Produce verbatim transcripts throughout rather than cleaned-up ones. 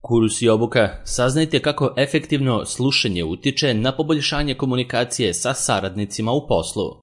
Kurs i obuka. Saznajte kako efektivno slušanje utiče na poboljšanje komunikacije sa saradnicima u poslu.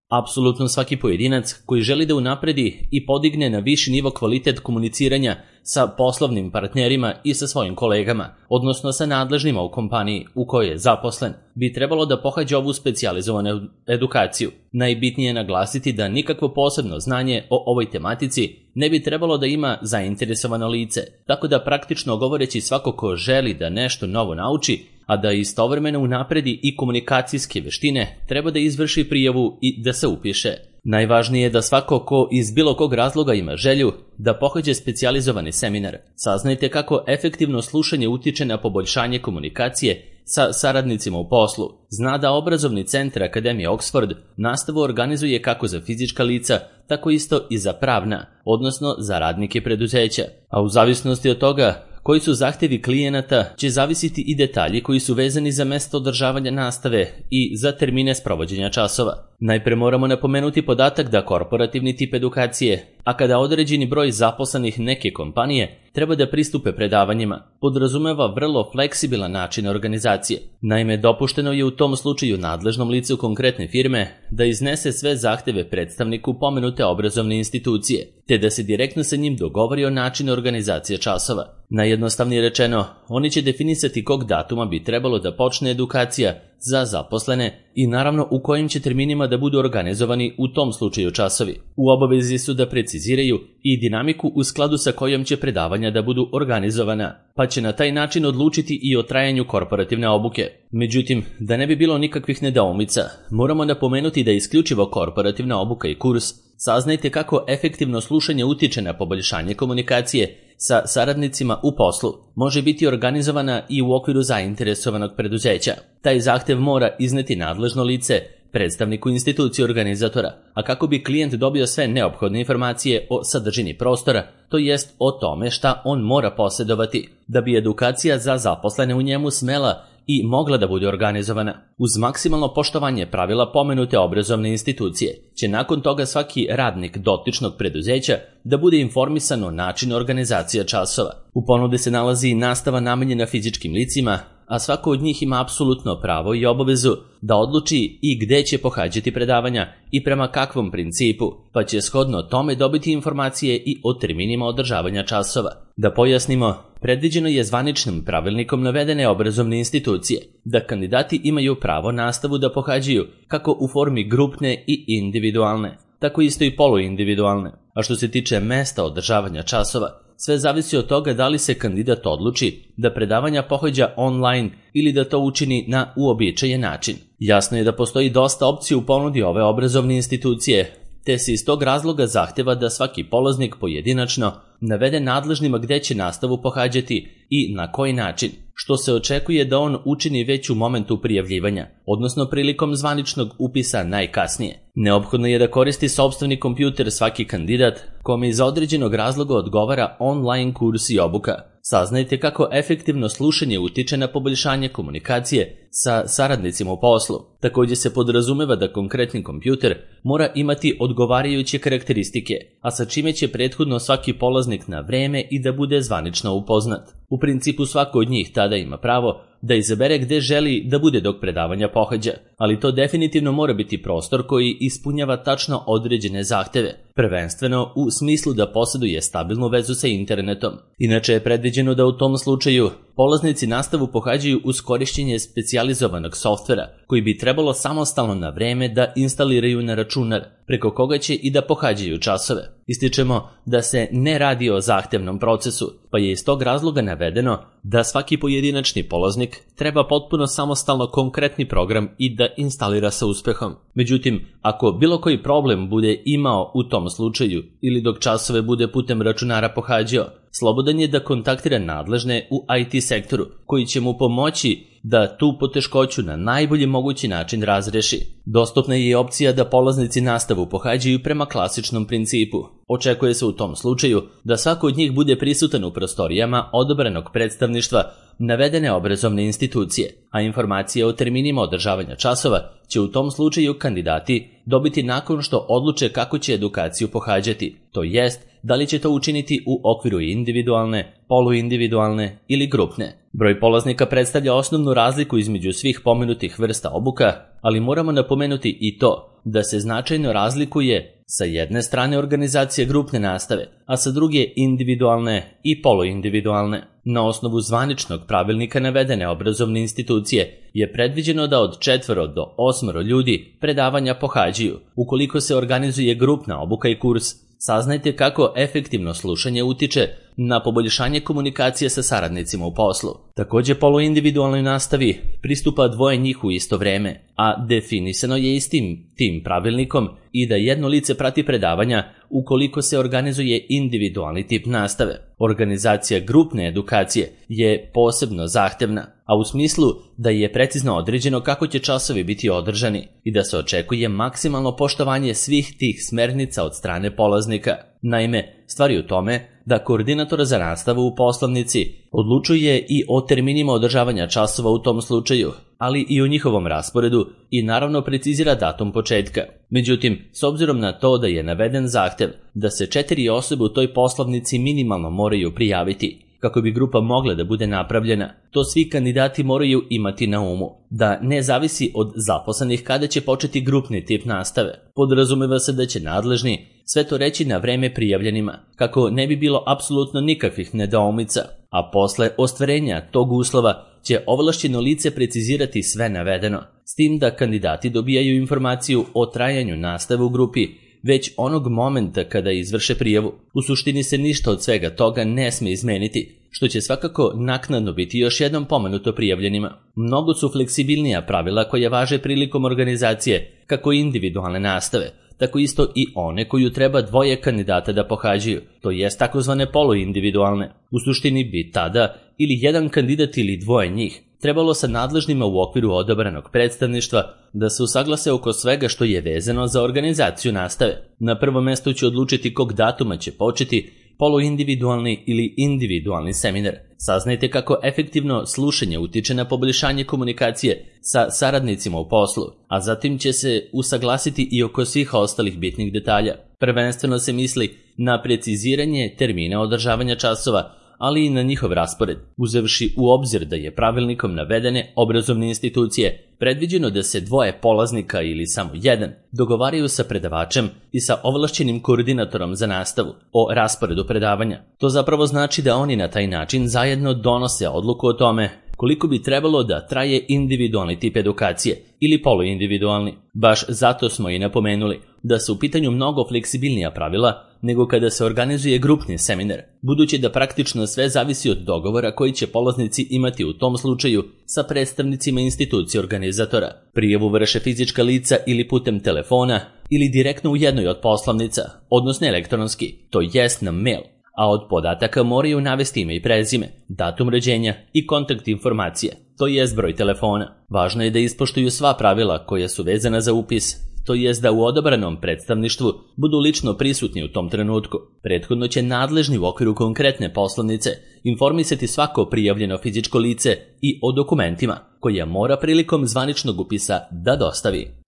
Apsolutno svaki pojedinac koji želi da unapredi i podigne na viši nivo kvalitet komuniciranja sa poslovnim partnerima i sa svojim kolegama, odnosno sa nadležnima u kompaniji u kojoj je zaposlen, bi trebalo da pohađa ovu specijalizovanu edukaciju. Najbitnije je naglasiti da nikakvo posebno znanje o ovoj tematici ne bi trebalo da ima zainteresovano lice, tako da praktično govoreći svako ko želi da nešto novo nauči, a da istovremeno unapredi i komunikacijske veštine, treba da izvrši prijavu i da se upiše. Najvažnije je da svako ko iz bilo kog razloga ima želju da pohađa specijalizovani seminar. Saznajte kako efektivno slušanje utiče na poboljšanje komunikacije sa saradnicima u poslu. Zna da obrazovni centar Akademije Oxford nastavu organizuje kako za fizička lica, tako isto i za pravna, odnosno za radnike preduzeća. A u zavisnosti od toga koji su zahtevi klijenata će zavisiti i detalji koji su vezani za mesto održavanja nastave i za termine sprovođenja časova. Najpre moramo napomenuti podatak da korporativni tip edukacije, a kada određeni broj zaposlenih neke kompanije treba da pristupe predavanjima, podrazumeva vrlo fleksibilan način organizacije. Naime, dopušteno je u tom slučaju nadležnom licu konkretne firme da iznese sve zahteve predstavniku pomenute obrazovne institucije, te da se direktno sa njim dogovori o načinu organizacije časova. Najjednostavnije rečeno, oni će definisati kog datuma bi trebalo da počne edukacija za zaposlene i naravno u kojim će terminima da budu organizovani u tom slučaju časovi. U obavezi su da preciziraju i dinamiku u skladu sa kojom će predavanja da budu organizovana, pa će na taj način odlučiti i o trajanju korporativne obuke. Međutim, da ne bi bilo nikakvih nedoumica, moramo napomenuti da isključivo korporativna obuka i kurs Saznajte kako efektivno slušanje utiče na poboljšanje komunikacije sa saradnicima u poslu. Može biti organizovana i u okviru zainteresovanog preduzeća. Taj zahtev mora izneti nadležno lice predstavniku institucije organizatora, a kako bi klijent dobio sve neophodne informacije o sadržini prostora, to jest o tome šta on mora posjedovati, da bi edukacija za zaposlene u njemu smela i mogla da bude organizovana. Uz maksimalno poštovanje pravila pomenute obrazovne institucije, će nakon toga svaki radnik dotičnog preduzeća da bude informisan o načinu organizacije časova. U ponudi se nalazi i nastava namenjena fizičkim licima, a svako od njih ima apsolutno pravo i obavezu da odluči i gde će pohađati predavanja i prema kakvom principu, pa će shodno tome dobiti informacije i o terminima održavanja časova. Da pojasnimo, predviđeno je zvaničnim pravilnikom navedene obrazovne institucije da kandidati imaju pravo nastavu da pohađaju kako u formi grupne i individualne, tako isto i poluindividualne. A što se tiče mesta održavanja časova, sve zavisi od toga da li se kandidat odluči da predavanja pohađa online ili da to učini na uobičajen način. Jasno je da postoji dosta opcija u ponudi ove obrazovne institucije, te se iz tog razloga zahteva da svaki polaznik pojedinačno navede nadležnima gde će nastavu pohađati i na koji način, što se očekuje da on učini već u momentu prijavljivanja, odnosno prilikom zvaničnog upisa najkasnije. Neophodno je da koristi sopstveni kompjuter svaki kandidat kome iz određenog razloga odgovara online kurs i obuka. Saznajte kako efektivno slušanje utiče na poboljšanje komunikacije sa saradnicima u poslu. Također se podrazumeva da konkretni kompjuter mora imati odgovarajuće karakteristike, a sa čime će prethodno svaki polaznik na vreme i da bude zvanično upoznat. U principu svako od njih tada ima pravo da izabere gde želi da bude dok predavanja pohađa, ali to definitivno mora biti prostor koji ispunjava tačno određene zahteve, prvenstveno u smislu da posjeduje stabilnu vezu sa internetom. Inače je predviđeno da u tom slučaju polaznici nastavu pohađaju uz korišćenje specijalizovanog softvera, koji bi trebalo samostalno na vreme da instaliraju na računar, preko koga će i da pohađaju časove. Ističemo da se ne radi o zahtevnom procesu, pa je iz tog razloga navedeno da svaki pojedinačni polaznik treba potpuno samostalno konkretni program i da instalira sa uspehom. Međutim, ako bilo koji problem bude imao u tom slučaju ili dok časove bude putem računara pohađao, slobodan je da kontaktira nadležne u I T sektoru, koji će mu pomoći da tu poteškoću na najbolji mogući način razreši. Dostupna je i opcija da polaznici nastavu pohađaju prema klasičnom principu. Očekuje se u tom slučaju da svako od njih bude prisutan u prostorijama odabranog predstavništva navedene obrazovne institucije, a informacije o terminima održavanja časova će u tom slučaju kandidati dobiti nakon što odluče kako će edukaciju pohađati, to jest da li će to učiniti u okviru individualne, poluindividualne ili grupne. Broj polaznika predstavlja osnovnu razliku između svih pomenutih vrsta obuka, ali moramo napomenuti i to da se značajno razlikuje sa jedne strane organizacija grupne nastave, a sa druge individualne i poluindividualne. Na osnovu zvaničnog pravilnika navedene obrazovne institucije je predviđeno da od četvoro do osmoro ljudi predavanja pohađaju. Ukoliko se organizuje grupna obuka i kurs, saznajte kako efektivno slušanje utiče na poboljšanje komunikacije sa saradnicima u poslu. Također poluindividualnoj nastavi pristupa dvoje njih u isto vreme, a definisano je istim tim pravilnikom i da jedno lice prati predavanja ukoliko se organizuje individualni tip nastave. Organizacija grupne edukacije je posebno zahtevna, a u smislu da je precizno određeno kako će časovi biti održani i da se očekuje maksimalno poštovanje svih tih smernica od strane polaznika. Naime, stvar je u tome da koordinator za nastavu u poslovnici odlučuje i o terminima održavanja časova u tom slučaju, ali i o njihovom rasporedu i naravno precizira datum početka. Međutim, s obzirom na to da je naveden zahtev da se četiri osobe u toj poslovnici minimalno moraju prijaviti, kako bi grupa mogla da bude napravljena, to svi kandidati moraju imati na umu, da ne zavisi od zaposlenih kada će početi grupni tip nastave. Podrazumeva se da će nadležni sve to reći na vreme prijavljenima, kako ne bi bilo apsolutno nikakvih nedoumica, a posle ostvarenja tog uslova će ovlašćeno lice precizirati sve navedeno, s tim da kandidati dobijaju informaciju o trajanju nastave u grupi već onog momenta kada izvrše prijavu. U suštini se ništa od svega toga ne sme izmeniti, što će svakako naknadno biti još jednom pomenuto prijavljenima. Mnogo su fleksibilnija pravila koja važe prilikom organizacije kako individualne nastave, tako isto i one koju treba dvoje kandidata da pohađaju, to jest takozvane poluindividualne. U suštini bi tada ili jedan kandidat ili dvoje njih trebalo sa nadležnima u okviru odabranog predstavništva da se usaglase oko svega što je vezano za organizaciju nastave. Na prvom mjestu će odlučiti kog datuma će početi poluindividualni ili individualni seminar. Saznajte kako efektivno slušanje utiče na poboljšanje komunikacije sa saradnicima u poslu, a zatim će se usaglasiti i oko svih ostalih bitnih detalja. Prvenstveno se misli na preciziranje termina održavanja časova, ali i na njihov raspored, uzevši u obzir da je pravilnikom navedene obrazovne institucije predviđeno da se dvoje polaznika ili samo jedan dogovaraju sa predavačem i sa ovlašćenim koordinatorom za nastavu o rasporedu predavanja. To zapravo znači da oni na taj način zajedno donose odluku o tome koliko bi trebalo da traje individualni tip edukacije ili poluindividualni. Baš zato smo i napomenuli da su u pitanju mnogo fleksibilnija pravila nego kada se organizuje grupni seminar, budući da praktično sve zavisi od dogovora koji će polaznici imati u tom slučaju sa predstavnicima institucije organizatora. Prijavu vrše fizička lica ili putem telefona ili direktno u jednoj od poslovnica, odnosno elektronski, to jest na mail, a od podataka moraju navesti ime i prezime, datum rođenja i kontakt informacije, to jest broj telefona. Važno je da ispoštuju sva pravila koja su vezana za upis, to jest da u odabranom predstavništvu budu lično prisutni u tom trenutku. Prethodno će nadležni u okviru konkretne poslovnice informisati svako prijavljeno fizičko lice i o dokumentima koje mora prilikom zvaničnog upisa da dostavi.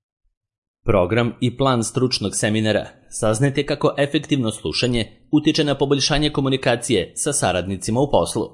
Program i plan stručnog seminara. Saznajte kako efektivno slušanje utiče na poboljšanje komunikacije sa saradnicima u poslu.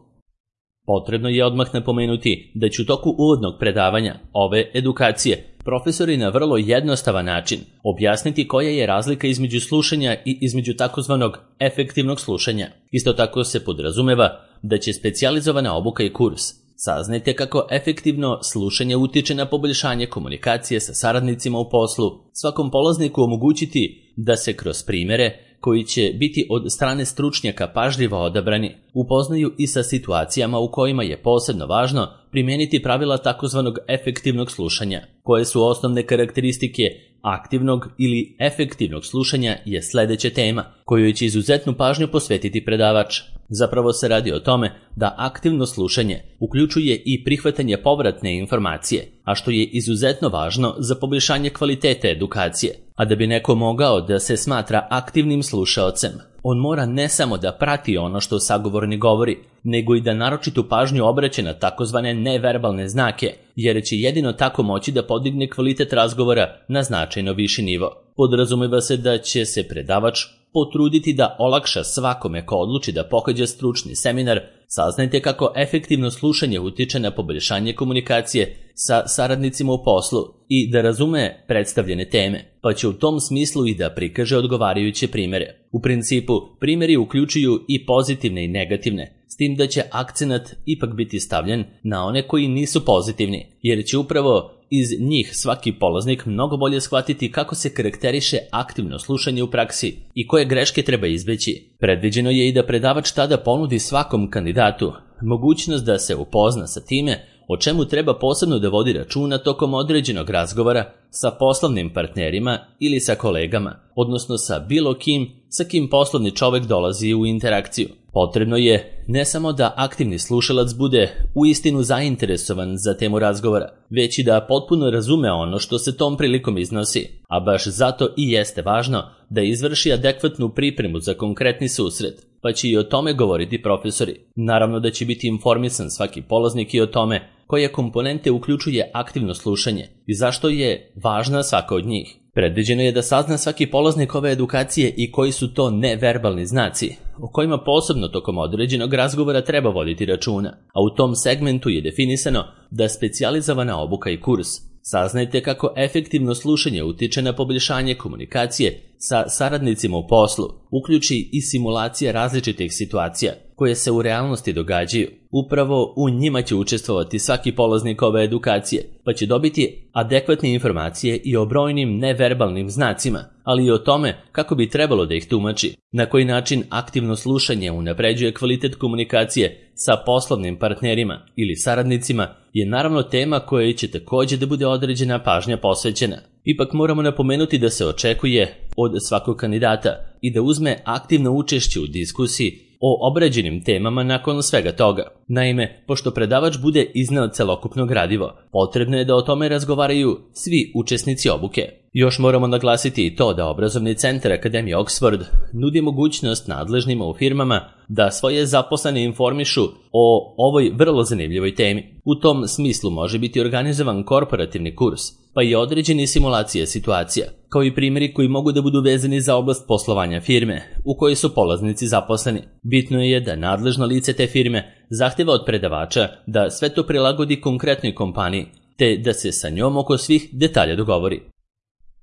Potrebno je odmah napomenuti da će u toku uvodnog predavanja ove edukacije profesori na vrlo jednostavan način objasniti koja je razlika između slušanja i između takozvanog efektivnog slušanja. Isto tako se podrazumeva da će specijalizovana obuka i kurs saznajte kako efektivno slušanje utiče na poboljšanje komunikacije sa saradnicima u poslu, svakom polazniku omogućiti da se kroz primjere koji će biti od strane stručnjaka pažljivo odabrani, upoznaju i sa situacijama u kojima je posebno važno primijeniti pravila takozvanog efektivnog slušanja. Koje su osnovne karakteristike aktivnog ili efektivnog slušanja je sljedeća tema, kojoj će izuzetnu pažnju posvetiti predavač. Zapravo se radi o tome da aktivno slušanje uključuje i prihvatanje povratne informacije, a što je izuzetno važno za poboljšanje kvalitete edukacije. A da bi neko mogao da se smatra aktivnim slušaocem, on mora ne samo da prati ono što sagovornik govori, nego i da naročitu pažnju obraća na takozvane neverbalne znake, jer će jedino tako moći da podigne kvalitet razgovora na značajno viši nivo. Podrazumeva se da će se predavač potruditi da olakša svakome ko odluči da pohađa stručni seminar. Saznajte kako efektivno slušanje utiče na poboljšanje komunikacije sa saradnicima u poslu i da razume predstavljene teme, pa će u tom smislu i da prikaže odgovarajuće primere. U principu, primeri uključuju i pozitivne i negativne, s tim da će akcenat ipak biti stavljen na one koji nisu pozitivni, jer će upravo iz njih svaki polaznik mnogo bolje shvatiti kako se karakteriše aktivno slušanje u praksi i koje greške treba izbeći. Predviđeno je i da predavač tada ponudi svakom kandidatu mogućnost da se upozna sa time o čemu treba posebno da vodi računa tokom određenog razgovora sa poslovnim partnerima ili sa kolegama, odnosno sa bilo kim sa kim poslovni čovek dolazi u interakciju. Potrebno je ne samo da aktivni slušalac bude uistinu zainteresovan za temu razgovora, već i da potpuno razume ono što se tom prilikom iznosi, a baš zato i jeste važno da izvrši adekvatnu pripremu za konkretni susret, pa će i o tome govoriti profesori. Naravno da će biti informisan svaki polaznik i o tome koje komponente uključuje aktivno slušanje i zašto je važna svaka od njih. Predviđeno je da sazna svaki polaznik ove edukacije i koji su to neverbalni znaci, o kojima posebno tokom određenog razgovora treba voditi računa, a u tom segmentu je definisano da specijalizovana obuka i kurs. Saznajte kako efektivno slušanje utiče na poboljšanje komunikacije sa saradnicima u poslu, uključi i simulacija različitih situacija koje se u realnosti događaju. Upravo u njima će učestvovati svaki polaznik ove edukacije, pa će dobiti adekvatne informacije i o brojnim neverbalnim znacima, ali i o tome kako bi trebalo da ih tumači, na koji način aktivno slušanje unapređuje kvalitet komunikacije sa poslovnim partnerima ili saradnicima je naravno tema kojoj će također da bude određena pažnja posvećena. Ipak moramo napomenuti da se očekuje od svakog kandidata i da uzme aktivno učešće u diskusiji o obrađenim temama nakon svega toga. Naime, pošto predavač bude izneo celokupno gradivo, potrebno je da o tome razgovaraju svi učesnici obuke. Još moramo naglasiti i to da obrazovni centar Akademije Oxford nudi mogućnost nadležnima u firmama da svoje zaposlene informišu o ovoj vrlo zanimljivoj temi. U tom smislu može biti organizovan korporativni kurs, pa i određeni simulacije situacija, kao i primjeri koji mogu da budu vezani za oblast poslovanja firme u kojoj su polaznici zaposleni. Bitno je da nadležno lice te firme zahteva od predavača da sve to prilagodi konkretnoj kompaniji, te da se sa njom oko svih detalja dogovori.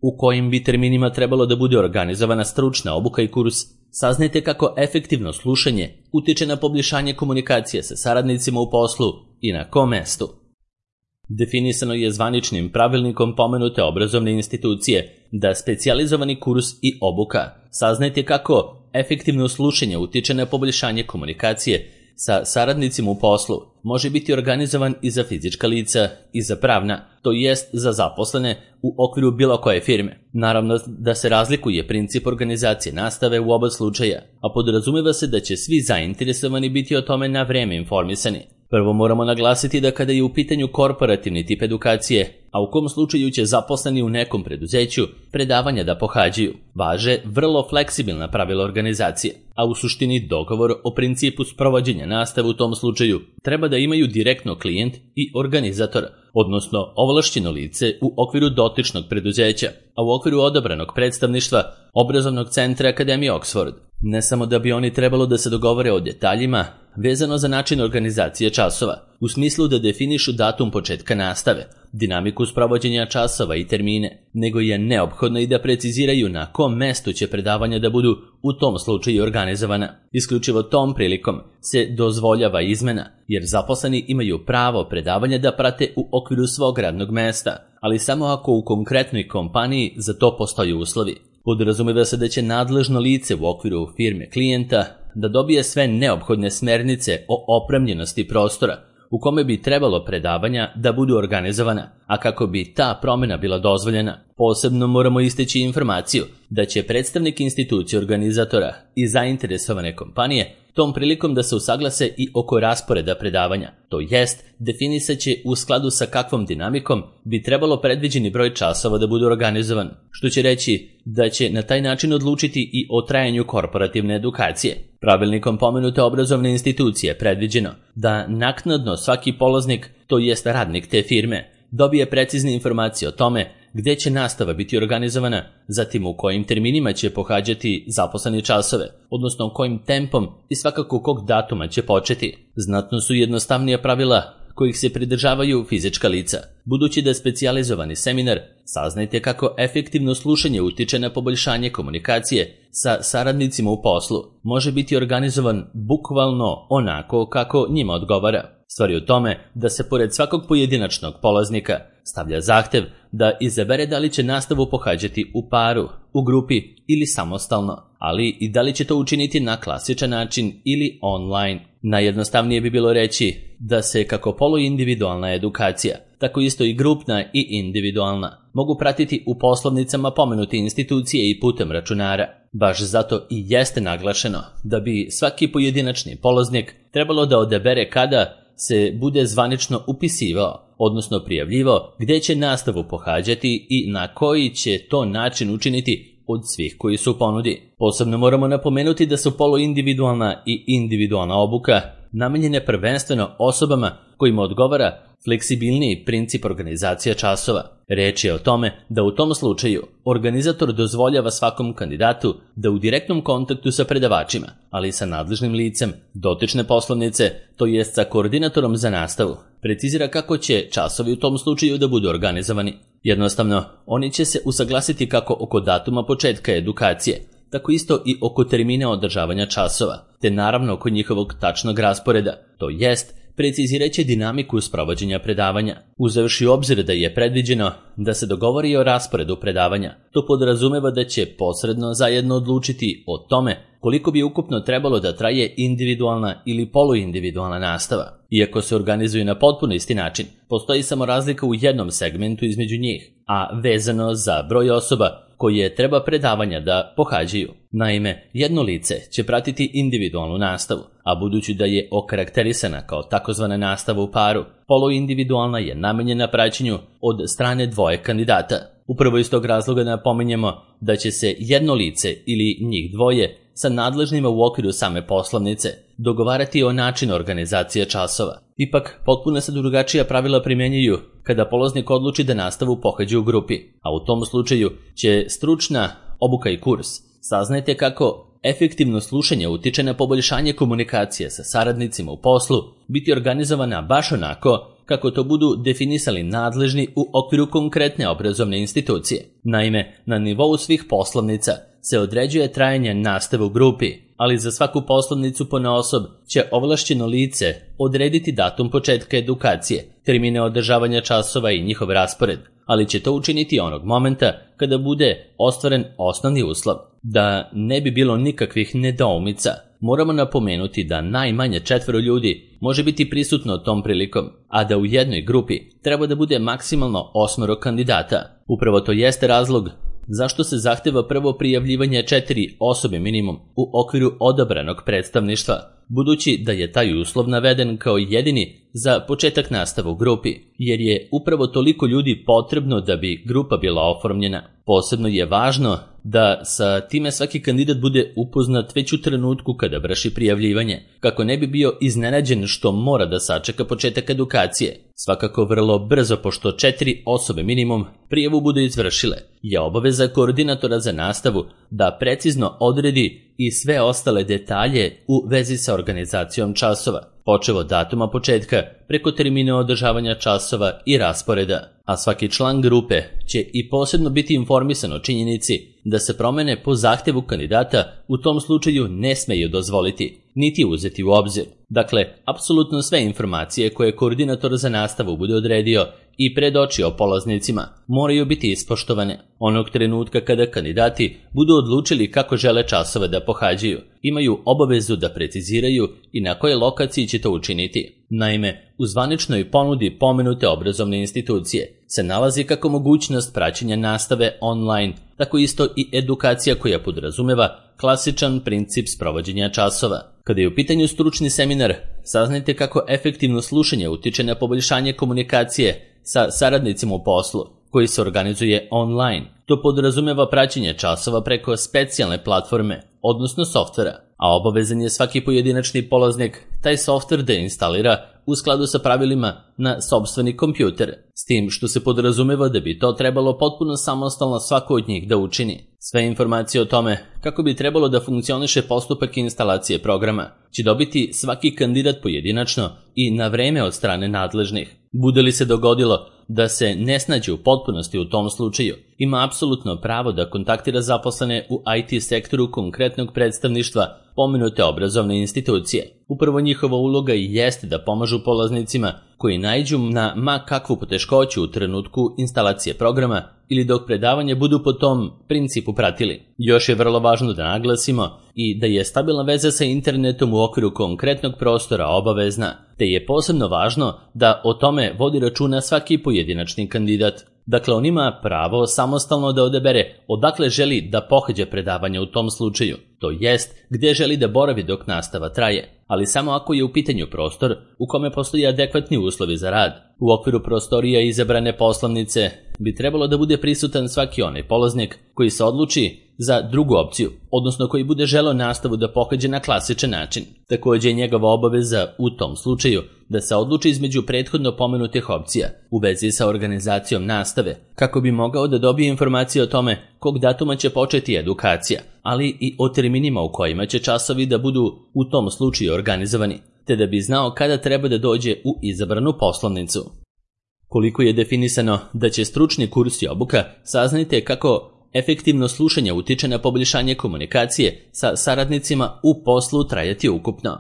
U kojim bi terminima trebalo da bude organizovana stručna obuka i kurs, saznajte kako efektivno slušanje utiče na poboljšanje komunikacije sa saradnicima u poslu i na kom mestu. Definisano je zvaničnim pravilnikom pomenute obrazovne institucije da specijalizovani kurs i obuka. Saznajte kako efektivno slušanje utiče na poboljšanje komunikacije sa saradnicima u poslu može biti organizovan i za fizička lica i za pravna, to jest za zaposlene u okviru bilo koje firme. Naravno da se razlikuje princip organizacije nastave u oba slučaja, a podrazumeva se da će svi zainteresovani biti o tome na vreme informisani. Prvo moramo naglasiti da kada je u pitanju korporativni tip edukacije, a u kom slučaju će zaposleni u nekom preduzeću predavanja da pohađaju, važe vrlo fleksibilna pravila organizacije, a u suštini dogovor o principu sprovođenja nastave u tom slučaju treba da imaju direktno klijent i organizator, odnosno ovlašćeno lice u okviru dotičnog preduzeća, a u okviru odabranog predstavništva obrazovnog centra Akademije Oxford. Ne samo da bi oni trebalo da se dogovore o detaljima vezano za način organizacije časova, u smislu da definišu datum početka nastave, dinamiku sprovođenja časova i termine, nego je neophodno i da preciziraju na kom mestu će predavanja da budu u tom slučaju organizovana. Isključivo tom prilikom se dozvoljava izmena, jer zaposleni imaju pravo predavanja da prate u okviru svog radnog mesta, ali samo ako u konkretnoj kompaniji za to postoje uslovi. Podrazumeva se da će nadležno lice u okviru firme klijenta da dobije sve neophodne smernice o opremljenosti prostora u kome bi trebalo predavanja da budu organizovana, a kako bi ta promjena bila dozvoljena, posebno moramo isteći informaciju da će predstavnik institucije organizatora i zainteresovane kompanije tom prilikom da se usaglase i oko rasporeda predavanja, to jest definisat će u skladu sa kakvom dinamikom bi trebalo predviđeni broj časova da bude organizovan, što će reći da će na taj način odlučiti i o trajanju korporativne edukacije. Pravilnikom pomenute obrazovne institucije predviđeno da naknadno svaki polaznik, to jest radnik te firme, dobije precizne informacije o tome gde će nastava biti organizovana, zatim u kojim terminima će pohađati zaposleni časove, odnosno kojim tempom i svakako kog datuma će početi. Znatno su jednostavnija pravila kojih se pridržavaju fizička lica. Budući da je specijalizovani seminar, saznajte kako efektivno slušanje utiče na poboljšanje komunikacije sa saradnicima u poslu. Može biti organizovan bukvalno onako kako njima odgovara. Stvar je u tome da se pored svakog pojedinačnog polaznika stavlja zahtev da izabere da li će nastavu pohađati u paru, u grupi ili samostalno, ali i da li će to učiniti na klasičan način ili online. Najjednostavnije bi bilo reći da se kako poluindividualna edukacija, tako isto i grupna i individualna, mogu pratiti u poslovnicama pomenute institucije i putem računara. Baš zato i jeste naglašeno da bi svaki pojedinačni polaznik trebalo da odabere kada se bude zvanično upisivao, odnosno prijavljivao gde će nastavu pohađati i na koji će to način učiniti od svih koji su u ponudi. Posebno moramo napomenuti da su poluindividualna i individualna obuka namenjene prvenstveno osobama kojima odgovara fleksibilniji princip organizacija časova. Reč je o tome da u tom slučaju organizator dozvoljava svakom kandidatu da u direktnom kontaktu sa predavačima, ali i sa nadležnim licem dotične poslovnice, to jest sa koordinatorom za nastavu, precizira kako će časovi u tom slučaju da budu organizovani. Jednostavno, oni će se usaglasiti kako oko datuma početka edukacije, tako isto i oko termina održavanja časova, te naravno oko njihovog tačnog rasporeda, to jest preciziraće dinamiku sprovođenja predavanja. Uzevši u obzir da je predviđeno da se dogovori o rasporedu predavanja, to podrazumeva da će posredno zajedno odlučiti o tome koliko bi ukupno trebalo da traje individualna ili poluindividualna nastava. Iako se organizuju na potpuno isti način, postoji samo razlika u jednom segmentu između njih, a vezano za broj osoba koje treba predavanja da pohađaju. Naime, jedno lice će pratiti individualnu nastavu, a budući da je okarakterisana kao takozvana nastava u paru, poluindividualna je namenjena praćenju od strane dvoje kandidata. Upravo iz tog razloga napominjemo da će se jedno lice ili njih dvoje sa nadležnima u okviru same poslovnice dogovarati o načinu organizacije časova. Ipak, potpuno se drugačija pravila primjenjuju kada polaznik odluči da nastavu pohađa u grupi, a u tom slučaju će stručna obuka i kurs. Saznajte kako efektivno slušanje utiče na poboljšanje komunikacije sa saradnicima u poslu biti organizovana baš onako kako to budu definisali nadležni u okviru konkretne obrazovne institucije. Naime, na nivou svih poslovnica se određuje trajanje nastave u grupi, ali za svaku poslovnicu ponaosob će ovlašćeno lice odrediti datum početka edukacije, termine održavanja časova i njihov raspored, ali će to učiniti onog momenta kada bude ostvaren osnovni uslov. Da ne bi bilo nikakvih nedoumica, moramo napomenuti da najmanje četvero ljudi može biti prisutno tom prilikom, a da u jednoj grupi treba da bude maksimalno osmoro kandidata. Upravo to jeste razlog zašto se zahteva prvo prijavljivanje četiri osobe minimum u okviru odabranog predstavništva, budući da je taj uslov naveden kao jedini za početak nastave u grupi, jer je upravo toliko ljudi potrebno da bi grupa bila oformljena. Posebno je važno da sa time svaki kandidat bude upoznat već u trenutku kada vrši prijavljivanje, kako ne bi bio iznenađen što mora da sačeka početak edukacije. Svakako vrlo brzo, pošto četiri osobe minimum prijavu budu izvršile, je obaveza koordinatora za nastavu da precizno odredi i sve ostale detalje u vezi sa organizacijom časova, počev od datuma početka, preko termina održavanja časova i rasporeda, a svaki član grupe će i posebno biti informisan o činjenici da se promene po zahtevu kandidata u tom slučaju ne smeju dozvoliti, niti uzeti u obzir. Dakle, apsolutno sve informacije koje koordinator za nastavu bude odredio i predočio polaznicima moraju biti ispoštovane. Onog trenutka kada kandidati budu odlučili kako žele časove da pohađaju, imaju obavezu da preciziraju i na kojoj lokaciji će to učiniti. Naime, u zvaničnoj ponudi pomenute obrazovne institucije se nalazi kako mogućnost praćenja nastave online, tako isto i edukacija koja podrazumeva klasičan princip sprovođenja časova. Kada je u pitanju stručni seminar, saznajte kako efektivno slušanje utiče na poboljšanje komunikacije sa saradnicima u poslu, koji se organizuje online. To podrazumeva praćenje časova preko specijalne platforme, odnosno softvera, a obavezan je svaki pojedinačni polaznik taj softver da instalira u skladu sa pravilima na sopstveni kompjuter, s tim što se podrazumeva da bi to trebalo potpuno samostalno svako od njih da učini. Sve informacije o tome kako bi trebalo da funkcioniše postupak instalacije programa će dobiti svaki kandidat pojedinačno i na vreme od strane nadležnih. Bude li se dogodilo da se ne snađe u potpunosti u tom slučaju, ima apsolutno pravo da kontaktira zaposlene u I T sektoru konkretnog predstavništva pomenute obrazovne institucije. Upravo njihova uloga i jeste da pomažu polaznicima koji naiđu na ma kakvu poteškoću u trenutku instalacije programa ili dok predavanje budu po tom principu pratili. Još je vrlo važno da naglasimo i da je stabilna veza sa internetom u okviru konkretnog prostora obavezna, te je posebno važno da o tome vodi računa svaki pojedinačni kandidat. Dakle, on ima pravo samostalno da odabere odakle želi da pohađa predavanje u tom slučaju, to jest gde želi da boravi dok nastava traje, ali samo ako je u pitanju prostor u kome postoji adekvatni uslovi za rad. U okviru prostorija izabrane poslovnice bi trebalo da bude prisutan svaki onaj polaznik koji se odluči za drugu opciju, odnosno koji bude želeo nastavu da pohađa na klasičan način. Takođe je njegova obaveza u tom slučaju da se odluči između prethodno pomenutih opcija u vezi sa organizacijom nastave, kako bi mogao da dobije informacije o tome kog datuma će početi edukacija, ali i o terminima u kojima će časovi da budu u tom slučaju organizovani, te da bi znao kada treba da dođe u izabranu poslovnicu. Koliko je definisano da će stručni kurs i obuka, saznajte kako efektivno slušanje utiče na poboljšanje komunikacije sa saradnicima u poslu trajati ukupno.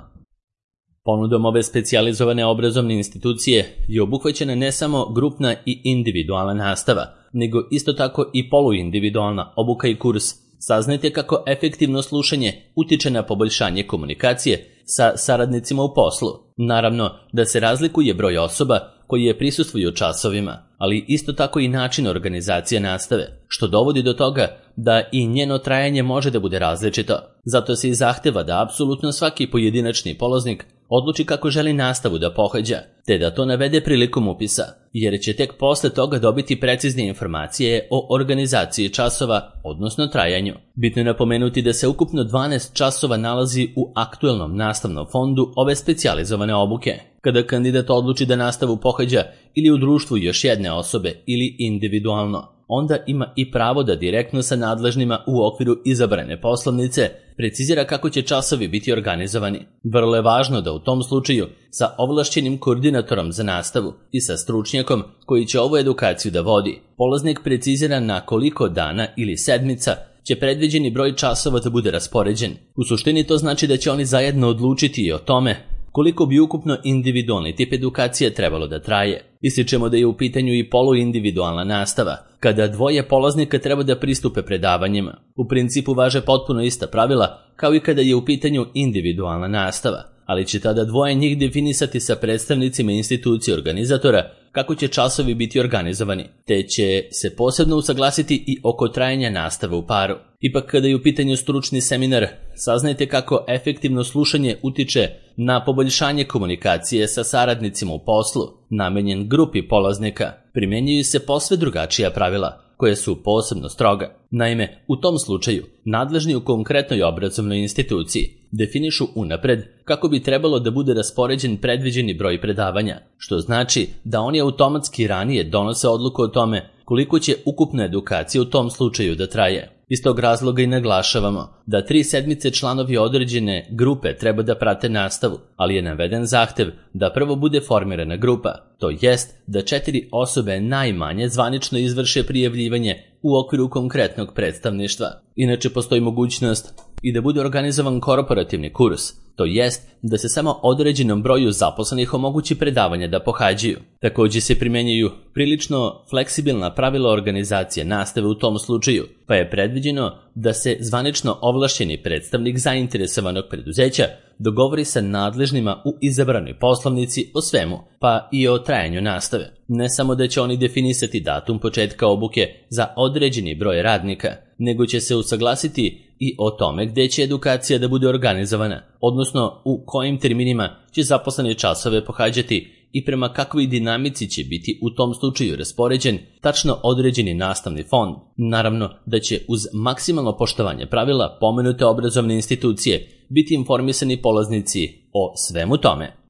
Ponudom ove specijalizovane obrazovne institucije je obuhvaćena ne samo grupna i individualna nastava, nego isto tako i poluindividualna obuka i kurs. Saznajte kako efektivno slušanje utiče na poboljšanje komunikacije sa saradnicima u poslu. Naravno da se razlikuje broj osoba koji je prisustvuju časovima, ali isto tako i način organizacije nastave, što dovodi do toga da i njeno trajanje može da bude različito. Zato se i zahteva da apsolutno svaki pojedinačni polaznik odluči kako želi nastavu da pohađa, te da to navede prilikom upisa, jer će tek posle toga dobiti precizne informacije o organizaciji časova, odnosno trajanju. Bitno je napomenuti da se ukupno dvanaest časova nalazi u aktuelnom nastavnom fondu ove specijalizovane obuke. Kada kandidat odluči da nastavu pohađa ili u društvu još jedne osobe ili individualno, onda ima i pravo da direktno sa nadležnima u okviru izabrane poslovnice precizira kako će časovi biti organizovani. Vrlo je važno da u tom slučaju sa ovlašćenim koordinatorom za nastavu i sa stručnjakom koji će ovu edukaciju da vodi, polaznik precizira na koliko dana ili sedmica će predviđeni broj časova da bude raspoređen. U suštini to znači da će oni zajedno odlučiti i o tome koliko bi ukupno individualni tip edukacije trebalo da traje. Ističemo da je u pitanju i poluindividualna nastava, kada dvoje polaznika treba da pristupe predavanjima. U principu važe potpuno ista pravila kao i kada je u pitanju individualna nastava, ali će tada dvoje njih definisati sa predstavnicima institucije organizatora kako će časovi biti organizovani, te će se posebno usaglasiti i oko trajanja nastave u paru. Ipak kada je u pitanju stručni seminar, saznajte kako efektivno slušanje utiče na poboljšanje komunikacije sa saradnicima u poslu, namenjen grupi polaznika. Primjenjuju se posve drugačija pravila, koje su posebno stroga. Naime, u tom slučaju, nadležni u konkretnoj obrazovnoj instituciji definišu unapred kako bi trebalo da bude raspoređen predviđeni broj predavanja, što znači da oni automatski ranije donose odluku o tome koliko će ukupna edukacija u tom slučaju da traje. Iz tog razloga i naglašavamo da tri sedmice članovi određene grupe treba da prate nastavu, ali je naveden zahtev da prvo bude formirana grupa, to jest da četiri osobe najmanje zvanično izvrše prijavljivanje u okviru konkretnog predstavništva. Inače postoji mogućnost i da bude organizovan korporativni kurs, to jest da se samo određenom broju zaposlenih omogući predavanja da pohađaju. Također se primjenjuju prilično fleksibilna pravila organizacije nastave u tom slučaju, pa je predviđeno da se zvanično ovlašćeni predstavnik zainteresovanog preduzeća dogovori sa nadležnima u izabranoj poslovnici o svemu, pa i o trajanju nastave. Ne samo da će oni definisati datum početka obuke za određeni broj radnika, nego će se usaglasiti i o tome gdje će edukacija da bude organizovana, odnosno u kojim terminima će zaposlene časove pohađati i prema kakvoj dinamici će biti u tom slučaju raspoređen tačno određeni nastavni fond. Naravno da će uz maksimalno poštovanje pravila pomenute obrazovne institucije biti informisani polaznici o svemu tome.